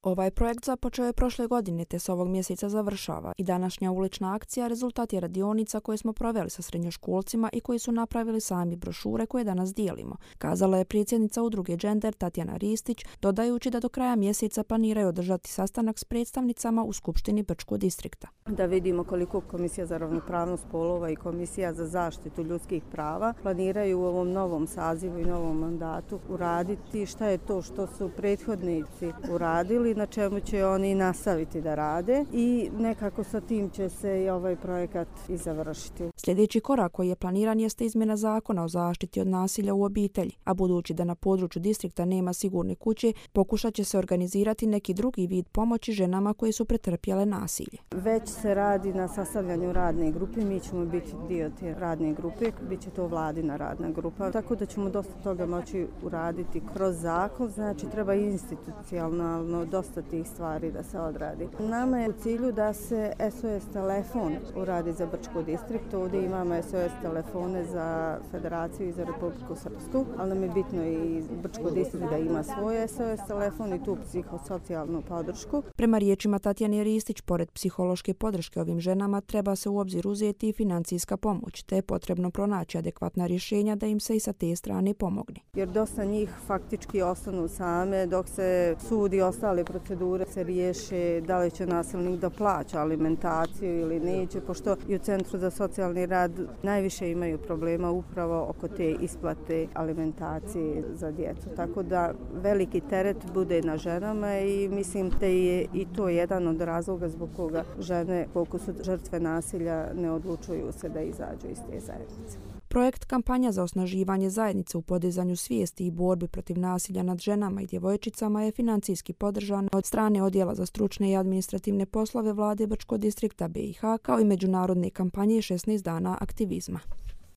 Ovaj projekt započeo je prošle godine te se ovog mjeseca završava i današnja ulična akcija rezultat je radionica koje smo proveli sa srednjoškolcima i koji su napravili sami brošure koje danas dijelimo, kazala je predsjednica udruge Gender Tatjana Ristić, dodajući da do kraja mjeseca planiraju održati sastanak s predstavnicama u Skupštini Brčkog distrikta. Da vidimo koliko Komisija za ravnopravnost spolova i Komisija za zaštitu ljudskih prava planiraju u ovom novom sazivu i novom mandatu uraditi, šta je to što su prethodnici uradili, na čemu će oni nastaviti da rade i nekako sa tim će se i ovaj projekat i završiti. Sljedeći korak koji je planiran jeste izmjena zakona o zaštiti od nasilja u obitelji, a budući da na području distrikta nema sigurne kuće, pokušat će se organizirati neki drugi vid pomoći ženama koje su pretrpjele nasilje. Već se radi na sastavljanju radne grupe, mi ćemo biti dio te radne grupe, bit će to vladina radna grupa, tako da ćemo dosta toga moći uraditi kroz zakon, znači treba institucionalno dosta tih stvari da se odradi. Nama je u cilju da se SOS telefon uradi za Brčko distrikt, ovdje imamo SOS telefone za Federaciju i za Republiku Srpsku, ali nam je bitno i Brčko distrikt da ima svoj SOS telefon i tu psihosocijalnu podršku. Prema riječima Tatjane Ristić, pored psihološke podrške ovim ženama treba se u obzir uzeti i financijska pomoć, te je potrebno pronaći adekvatna rješenja da im se i sa te strane pomogne. Jer dosta njih faktički ostanu same dok se sud i ostale procedure se riješe da li će nasilnik da plaća alimentaciju ili neće, pošto i u Centru za socijalni rad najviše imaju problema upravo oko te isplate alimentacije za djecu. Tako da veliki teret bude na ženama i mislim da je i to jedan od razloga zbog koga žene, koliko su žrtve nasilja, ne odlučuju se da izađu iz te zajednice. Projekt Kampanja za osnaživanje zajednice u podizanju svijesti i borbi protiv nasilja nad ženama i djevojčicama je financijski podržan od strane Odjela za stručne i administrativne poslove Vlade Brčkog distrikta BiH kao i međunarodne kampanje 16 dana aktivizma.